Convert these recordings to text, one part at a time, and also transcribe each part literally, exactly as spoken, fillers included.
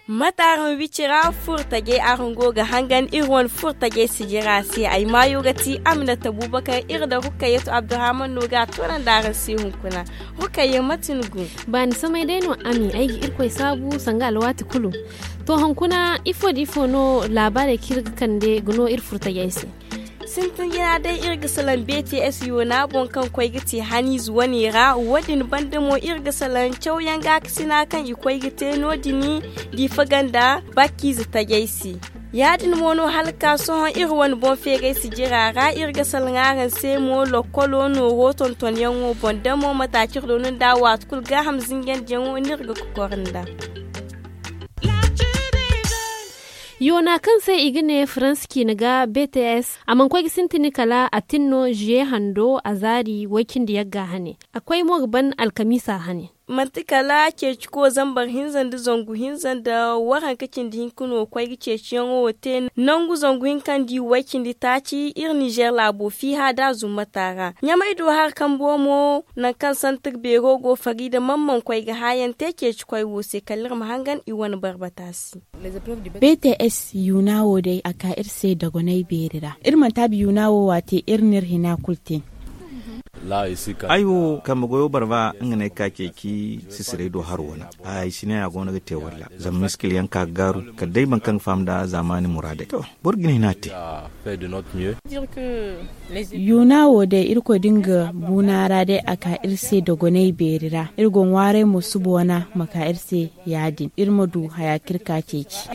Mate araŋ wicira furtajey araŋ go ga hangan iri wane furtajey sijira se ay maayo ga ti aminata bubakar iri da rukayyatu abdurrahman no ga a toonandi araŋ se hunkuna. Rukayyatu mate ni go? Baani samay day no ami ay ga irkoy saabu sanga alwaati kulu. To hunkuna ifo da ifo no laabaarey kaŋ iri ga kande ga no iri furtajey se? Sintin jina day iri ga salaŋ bts yoona boŋ kaŋ koy ga te haniize wane ra wo- din banda mo iri ga salaŋ cawyaŋ gaakasina kaŋ i koy ga te no- din diifa ganda bakkiize tajay se. Ya- din mo no hala ka sohõ iri wane boŋ feeray sijira ra iri ga salaŋ araŋ se mo lokkolo nooro tontonyaŋo boŋ da mo mataacir do no nda waati kulu gaaham zinjandiyaŋo no iri ga kokor nda. Yoona kaŋ se i ga ne faransa ciine ga bts a mana koy ga sintin kala a tin no ziye hando a zaari way-cindi yagga hane. A koy mo ga ban alkamiisa hane. Manti kala ceeci ko zambar hinza nda zangu hinza nda waranka cindi hinka no koy ga ceeciyaŋo wo te nangu zangu hinka nda i way-cindi taaci iri nizer laabo fiiha da zummata ra ɲamay do hari kambo mo. Nangu kaŋ santir beero go fariida man mana koy ga haayaŋ te ceeci koy wo se kala iri ma hangan i wane barbata se. Bts yuuna wo day a ka iri se dogonay beeri ra iri mana taabi yuuna wo waate iri n'iri hina kulu te. Ay wo kambe goyo barba nga no ay ka ceeci sisiray do haro wane. Ay si ne a go no ga te walla zama miskil yaŋ ka ga gaaru kala day boro kaŋ ga faham nda zaamaani muraadey to. Boro ga ni hina te. Yuuna wo day irkoy da nga buuna ra day a ka iri se dogonay beeri ra iri go ŋwaaray mo suba wana ma ka iri se. Ya- din iri ma du haya kaŋ iri ka ceeci.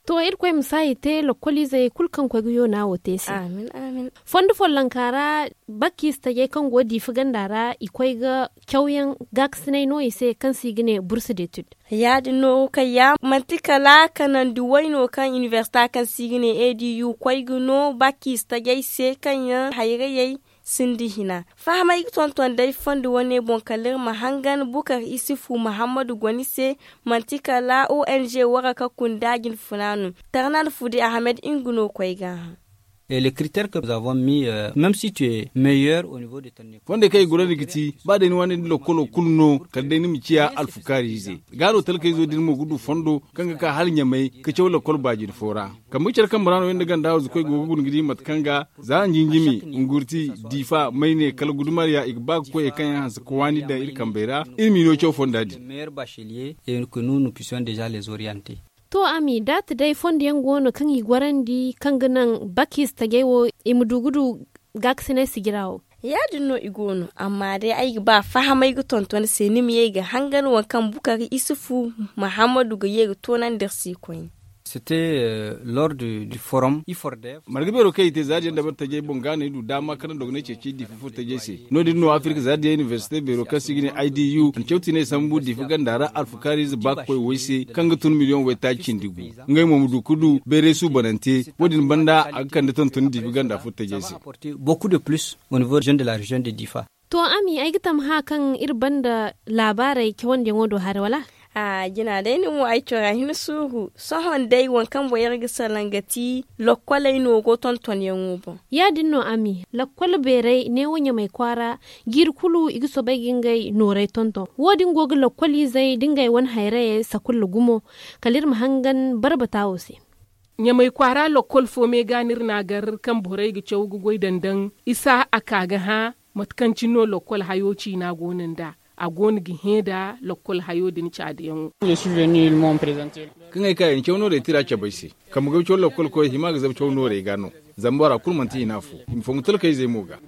To irkoy ma saayi te lokkoliizey kulu kaŋ koy ga yoona wo te se. Fondo follonka ra bakkiize tajay kaŋ go diifa ganda ra i koy ga cawyaŋ gaakasinay no i se kaŋ se i ga ne bursu deetid. Ya- din no kayya manti kala kanandi way no kaŋ inibersita kaŋ se i ga ne edu koy ga no bakkiize tajay se kaŋ yaŋ hayrayey sinda hina. Fahamay ga tonton day fondo wane boŋ kala iri ma hangan bukar isufu muhammadu goni se. Manti kala ong waraka kunda jinfuna no. Tarnal fudi ahmed nga no koy ga hã. Fondey kaŋ i gurandi ga ti ba day ni waani nda lokkolo kulu no kala day ni ma ciya alfukaari ize. Ga no talkayzo din mo ga du fondo kaŋ ga ka hala ɲamay ka caw lokkol baajin fo ra. Kambe care kambe ra no yaŋ da ganda hawzu koy go ga guna ga di mate kaŋ ga za njinjimi ngurti diifa mayne kala gudumariya i ga ba ga koy hari kaŋ yaŋ hanse ga waani daŋ iri kambey ra. Iri m'i no caw fonda din. To ami daati day fondo yaŋ go no kaŋ i gorandi kaŋ ga naŋ bakis tajay wo i ma du ga du gaakasinay sijira wo. Ya- din no i go no amma day ay ga ba fahamay ga tonton se ni ma ye ga hangan waŋ kaŋ bukari isufu muhammadu ga ye ga toonandi iri se koyne. Marga beero kaŋ i te zaadiyaŋ dabari tajey boŋ ga no ay du daama kaŋ na dogonay ceeci diifa furo tajey se. No- din no afirka zaadiyaŋ inibersite beero kaŋ se i ga ne i d u a na cawti ne sambu diifa ganda ra alfukaariize ba ga koy way se kaŋ ga tun miliyoŋ waytaaci cindi gu. Ngey mo ma du ga du bayray suubanante. Wo- din banda a ga kande tontoni diifa ganda furo tajey se. To ami ay ga tamha kaŋ iri banda laabaarey cawandiyaŋo do haray wala? Jina day ni mo ay cora hin suuru sohõ day waŋ kaŋ boŋ iri ga salaŋ ga ti lokkoley nooro tontonyaŋo boŋ. Ya- din no ami lokkol beerey neewo ɲamay kwaara jiiri kulu i ga soobay ga ngey noorey tonton wo- din go ga lokkoliizey da ngey wane hayrayey sakulla gumo kala iri ma hangan barbata wo se. Ɲamay kwaara lokkol fo me ga no iri n'a gar kaŋ borey ga caw ga goy dandaŋ isa a ka ga hã mate kaŋ cine no lokkol hayo ciina go no nd'a a go no ga hẽ nda lokkol hayo din caadiyaŋo. Kaŋ ay ka i na caw noorey tira cabe ay se kambe goy caw lokkolkoy hima ga zabu caw noorey ga no. Zama bora kulu manti hina fo i ma fongu talkayzey mo ga.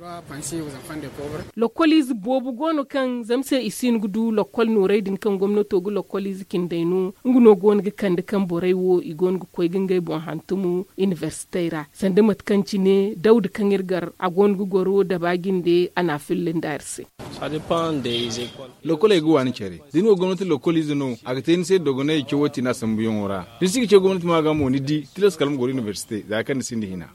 Lokkoliize boobo go no kaŋ zama se i si hin ga du lokkol noorey din kaŋ gomnato ga lokkoliize cindey no nga no go no ga kande kaŋ borey wo i go no ga koy ga ngey boŋ hantum inibersitey ra sanda mate kaŋ cine dawda kaŋ iri gar a go no ga goro daba jinde a n'a filla nda iri se. Lokkoley ga waani care da ni wo gomnati lokkoliize no a ga te ni se dogonay cawo tiina sambuyaŋo ra. Da ni si ga caw gomnati ma ga mo ni di tilas kala ma goro inibersite za kaŋ ni sinda hina.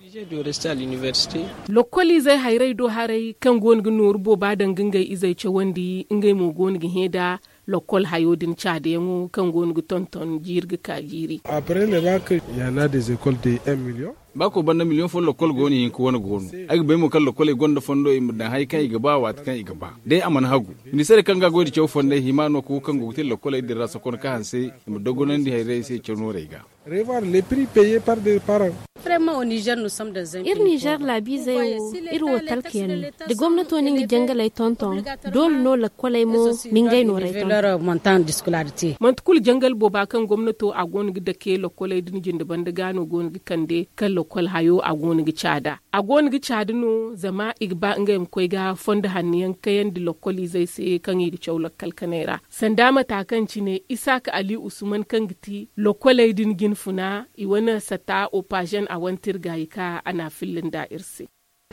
Lokkoliizey hayrey do haray kaŋ go no ga nooru booba daŋ ga ngey izey cawandi ngey mo go no ga hẽ nda Lokkol hayo din caadayaŋo kaŋ go no ga tonton jiiri ga ka jiiri. Après le bac, il y en a des écoles de un million. Baako banda miliyoŋ fo lokkol go no hinka wane go no. Ay ga bay mo kaŋ lokkoley gonda fondo i ma daŋ hari kaŋ i ga ba waati kaŋ i ga ba. Day a mana hagu, ministeer kaŋ ga goy nda caw fondey hima no ka wo kaŋ go ga te lokkoley din ra sokon ka hanse, i ma dogonandi hayrey se caw noorey ga. Revoir les prix payés par des parents. Iri nizer laabiizey wo, iri wo talka yaŋ no. Da gomnato na nga jangaley tonton, doole no lakkoley mo na ngey noorey tonton. Manti kulu jangal booba kaŋ gomnato a go no ga dake lakkoley din jinde banda ga no go no ga kande kaŋ lakkol hayo a go no ga caada. A go no ga caada no zama i ga ba ngey ma koy ga fondo hanno yaŋ kayandi lakkoliizey se kaŋ i ga caw lakkal kanay ra. Sanda mata kaŋ cine isaaka ali usman kaŋ ga ti lokkoley din jinfuna i wane sata opazen a wane tirgaayi ka a n'a filla nda iri se.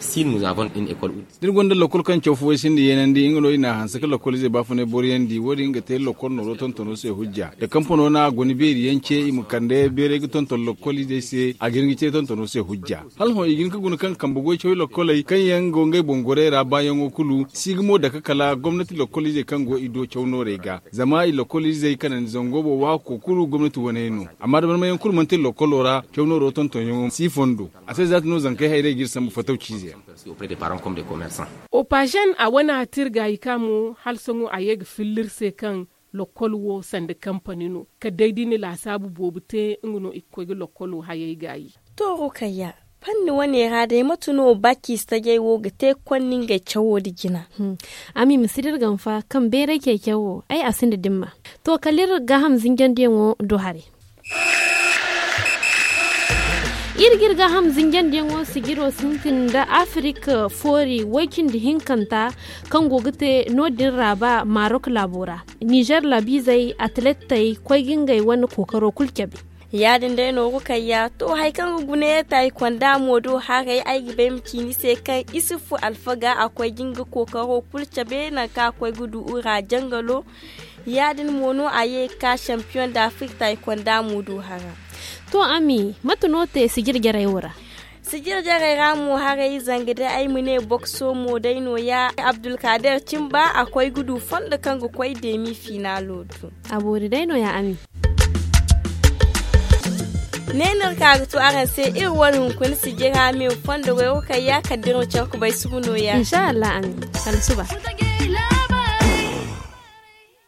Da iri gonda lakkol kaŋ caw fo way sinda yeenandi nga no i n'a hanse ka lakkoliizey baafunay boroyandi wo- din ga te lakkol nooro tontono se hujja da kampano no a guna beeri yaŋ ce i ma kande beeray ga tonton lakkoliizey se a ga hin ga ce tontono se hujja. Hala hõ i ga hin ga guna kaŋ kambe goy cawey lokkoley kaŋ yaŋ go ngey boŋ gorey ra baayaŋo kulu si ga mo dake kala gomnati lokkoliizey kaŋ go i do caw noorey ga. Zama i lokkoliizey kanandi zango boŋ waako kulu gomnati waney no. Amma da barmayaŋ kulu manti iri lokkolo ra caw nooro tontonyaŋo si fondo. A se zaati no zankey hayrey ga iri sambu fatawciize yaŋ. Opazen a wane tirgaayi ka mo hala sohõ a ye ga filla iri se kaŋ lokkol wo sanda kampani no kala day da i na laasaabu boobo te nga no i ga koy ga lokkolo hayey gaayi. To rukayya, fanni wane ra day mate no baci stajey wo ga te ga konda ngey cawo nda jina? Ami ma si da iri gamfa kaŋ bayray ceeciyaŋ wo ay a sinda dimma. To kala iri gaaham zinjandiyaŋo do haray. Iri ga iri gaaham zinjandiyaŋo sijiro sintin nda afirik foori way-cindi hinkanta kaŋ go ga te no- din ra ba marok laabo ra. Nizer laabiizey atlettey koy ga ngey wane kookaro kulu cabe. Ya- din day no ga kayya to hari kaŋ ga guna yee taayikonda mo do haray ay ga bay ma ci ni se kaŋ isufu alfaga a koy ga nga kookaro kulu cabe nangu kaŋ a koy ga du ura jangalo. Ya- din mo no a ye ga ka sampiyoŋ da afirka taayikonda mo do hara. To ami mate no te sijir jarey wo ra? Sijir jarey ra mo haray zanga day ay ma ne bokso mo day no- ya abdulkader cimba a koy ga du fondo kaŋ ga koy deemi finaalo du. A boori day no- ya ami. Ne no iri ka ga to araŋ se iri wane hunkuna sijira me fondo goy wo kaŋ ya kala da iri ma care ga bay sugu no- ya. Insa allah ami. Kala suba.